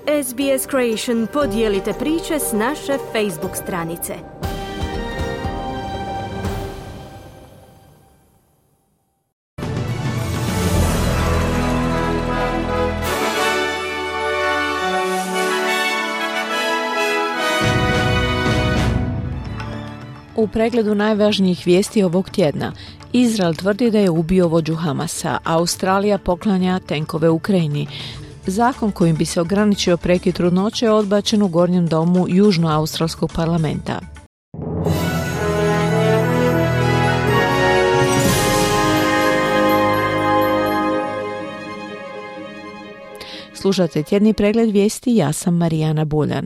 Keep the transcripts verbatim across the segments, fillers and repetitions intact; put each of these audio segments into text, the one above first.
S B S Creation podijelite priče s naše Facebook stranice. U pregledu najvažnijih vijesti ovog tjedna, Izrael tvrdi da je ubio vođu Hamasa, Australija poklanja tenkove Ukrajini. Zakon kojim bi se ograničio prekid trudnoće je odbačen u Gornjem domu Južnoaustralskog parlamenta. Slušate tjedni pregled vijesti, ja sam Marijana Buljan.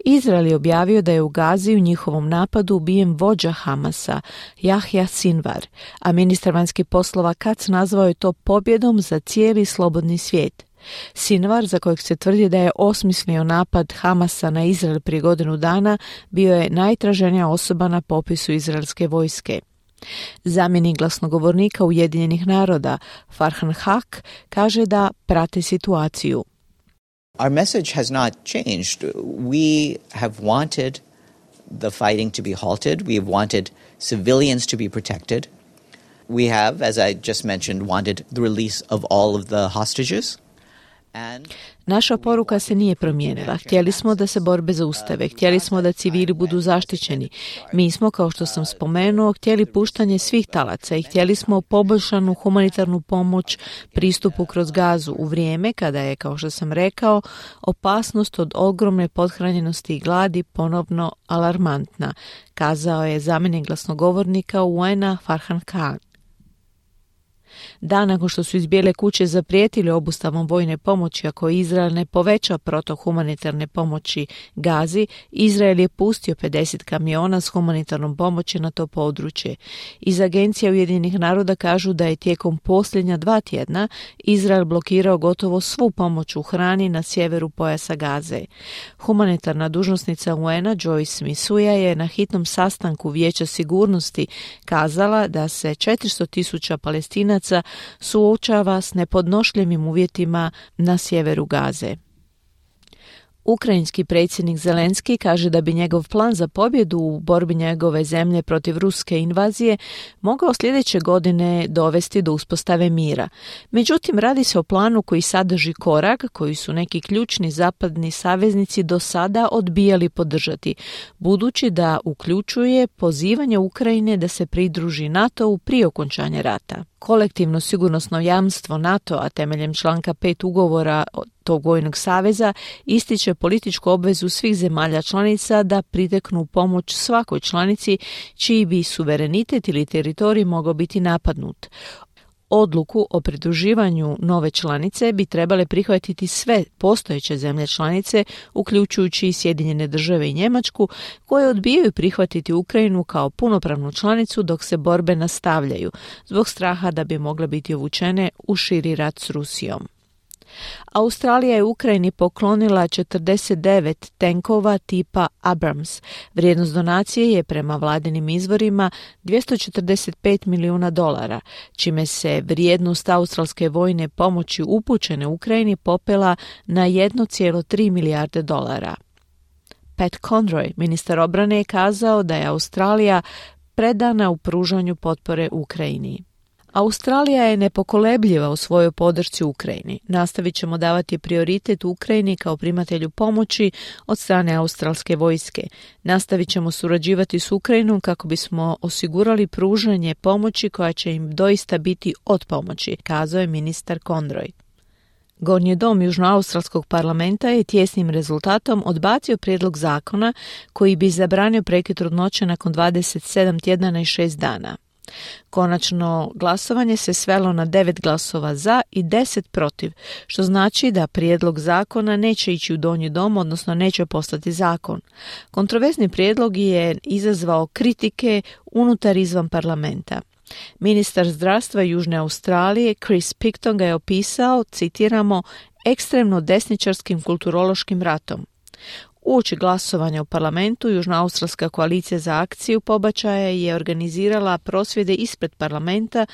Izrael je objavio da je u Gazi u njihovom napadu ubijen vođa Hamasa, Jahja Sinvar, a ministar vanjskih poslova Katz nazvao je to pobjedom za cijeli slobodni svijet. Sinvar, za kojeg se tvrdi da je osmislio napad Hamasa na Izrael prije godinu dana, bio je najtraženija osoba na popisu izraelske vojske. Zamjenik glasnogovornika Ujedinjenih naroda, Farhan Haq, kaže da prate situaciju. Our message has not changed. We have wanted the fighting to be halted. We have wanted civilians to be protected. We have, as I just mentioned, wanted the release of all of the hostages. Naša poruka se nije promijenila. Htjeli smo da se borbe zaustave, htjeli smo da civili budu zaštićeni. Mi smo, kao što sam spomenuo, htjeli puštanje svih talaca i htjeli smo poboljšanu humanitarnu pomoć pristupu kroz Gazu u vrijeme kada je, kao što sam rekao, opasnost od ogromne pothranjenosti i gladi ponovno alarmantna, kazao je zamjenik glasnogovornika U N-a Farhan Khan. Dan nakon što su iz Bijele kuće zaprijetili obustavom vojne pomoći ako Izrael ne poveća protok humanitarne pomoći Gazi, Izrael je pustio pedeset kamiona s humanitarnom pomoći na to područje. Iz Agencije Ujedinjenih naroda kažu da je tijekom posljednja dva tjedna Izrael blokirao gotovo svu pomoć u hrani na sjeveru pojasa Gaze. Humanitarna dužnosnica U N-a Joyce Msuya je na hitnom sastanku Vijeća sigurnosti kazala da se četiristo tisuća Palestinaca suočava s nepodnošljivim uvjetima na sjeveru Gaze. Ukrajinski predsjednik Zelenski kaže da bi njegov plan za pobjedu u borbi njegove zemlje protiv ruske invazije mogao sljedeće godine dovesti do uspostave mira. Međutim, radi se o planu koji sadrži korak koji su neki ključni zapadni saveznici do sada odbijali podržati, budući da uključuje pozivanje Ukrajine da se pridruži NATO-u prije okončanja rata. Kolektivno sigurnosno jamstvo NATO-a temeljem članka pet ugovora tog vojnog saveza ističe političku obvezu svih zemalja članica da priteknu pomoć svakoj članici čiji bi suverenitet ili teritorij mogao biti napadnut. Odluku o pridruživanju nove članice bi trebale prihvatiti sve postojeće zemlje članice, uključujući i Sjedinjene države i Njemačku, koje odbijaju prihvatiti Ukrajinu kao punopravnu članicu dok se borbe nastavljaju, zbog straha da bi mogle biti uvučene u širi rat s Rusijom. Australija je Ukrajini poklonila četrdeset devet tenkova tipa Abrams. Vrijednost donacije je prema vladinim izvorima dvjesto četrdeset pet milijuna dolara, čime se vrijednost australske vojne pomoći upućene Ukrajini popela na jedan zarez tri milijarde dolara. Pat Conroy, ministar obrane, je kazao da je Australija predana u pružanju potpore Ukrajini. Australija je nepokolebljiva u svojoj podršci Ukrajini. Nastavit ćemo davati prioritet Ukrajini kao primatelju pomoći od strane australske vojske. Nastavit ćemo surađivati s Ukrajinom kako bismo osigurali pružanje pomoći koja će im doista biti od pomoći, kazao je ministar Conroy. Gornji dom Južnoaustralskog parlamenta je tjesnim rezultatom odbacio prijedlog zakona koji bi zabranio prekid trudnoće nakon dvadeset sedam tjedana i šest dana. Konačno glasovanje se svelo na devet glasova za i deset protiv, što znači da prijedlog zakona neće ići u donji dom, odnosno neće postati zakon. Kontroverzni prijedlog je izazvao kritike unutar izvan parlamenta. Ministar zdravstva Južne Australije Chris Picton ga je opisao, citiramo, ekstremno desničarskim kulturološkim ratom. Uoči glasovanja u parlamentu, Južnoaustralska koalicija za akciju pobačaja je organizirala prosvjede ispred parlamenta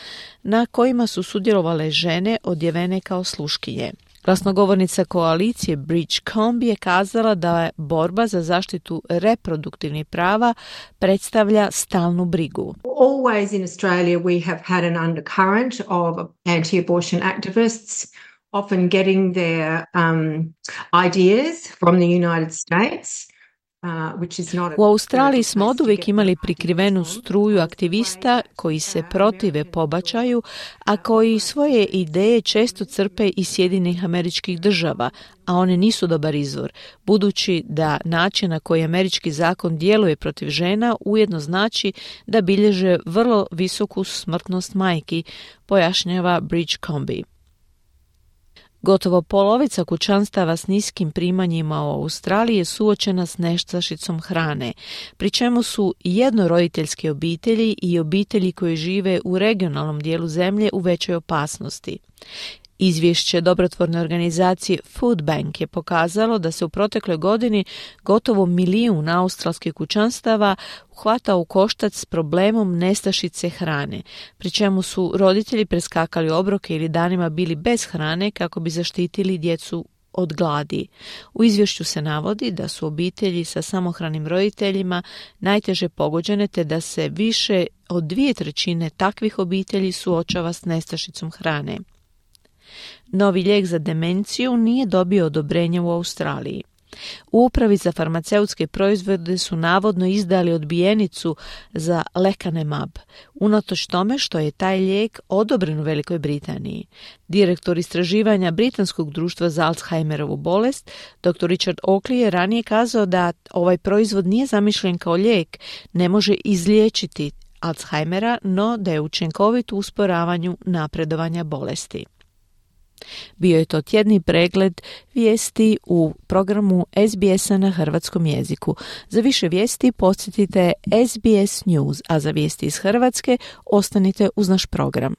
na kojima su sudjelovale žene odjevene kao sluškinje. Glasnogovornica koalicije Bridge Combe je kazala da je borba za zaštitu reproduktivnih prava predstavlja stalnu brigu. Always in Australia we have had an undercurrent of anti-abortion activists often getting their um, ideas from the United States. U Australiji smo oduvijek imali prikrivenu struju aktivista koji se protive pobačaju, a koji svoje ideje često crpe iz Sjedinjenih Američkih Država, a one nisu dobar izvor, budući da način na koji američki zakon djeluje protiv žena ujedno znači da bilježe vrlo visoku smrtnost majki, pojašnjava Bridge Combe. Gotovo polovica kućanstava s niskim primanjima u Australiji je suočena s nestašicom hrane, pri čemu su jednoroditeljske obitelji i obitelji koji žive u regionalnom dijelu zemlje u većoj opasnosti. Izvješće dobrotvorne organizacije Food Bank je pokazalo da se u protekloj godini gotovo milijun australskih kućanstava hvata u koštac s problemom nestašice hrane, pri čemu su roditelji preskakali obroke ili danima bili bez hrane kako bi zaštitili djecu od gladi. U izvješću se navodi da su obitelji sa samohranim roditeljima najteže pogođene te da se više od dvije trećine takvih obitelji suočava s nestašicom hrane. Novi lijek za demenciju nije dobio odobrenje u Australiji. U upravi za farmaceutske proizvode su navodno izdali odbijenicu za lecanemab, unatoč tome što je taj lijek odobren u Velikoj Britaniji. Direktor istraživanja Britanskog društva za Alzheimerovu bolest, doktor Richard Oakley, je ranije kazao da ovaj proizvod nije zamišljen kao lijek, ne može izliječiti Alzheimera, no da je učinkovit u usporavanju napredovanja bolesti. Bio je to tjedni pregled vijesti u programu S B S-a na hrvatskom jeziku. Za više vijesti posjetite S B S News, a za vijesti iz Hrvatske ostanite uz naš program.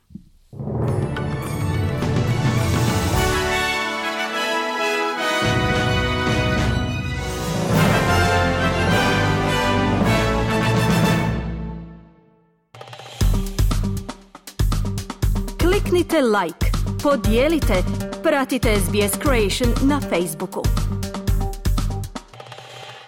Kliknite like, podijelite, pratite S B S Creation na Facebooku.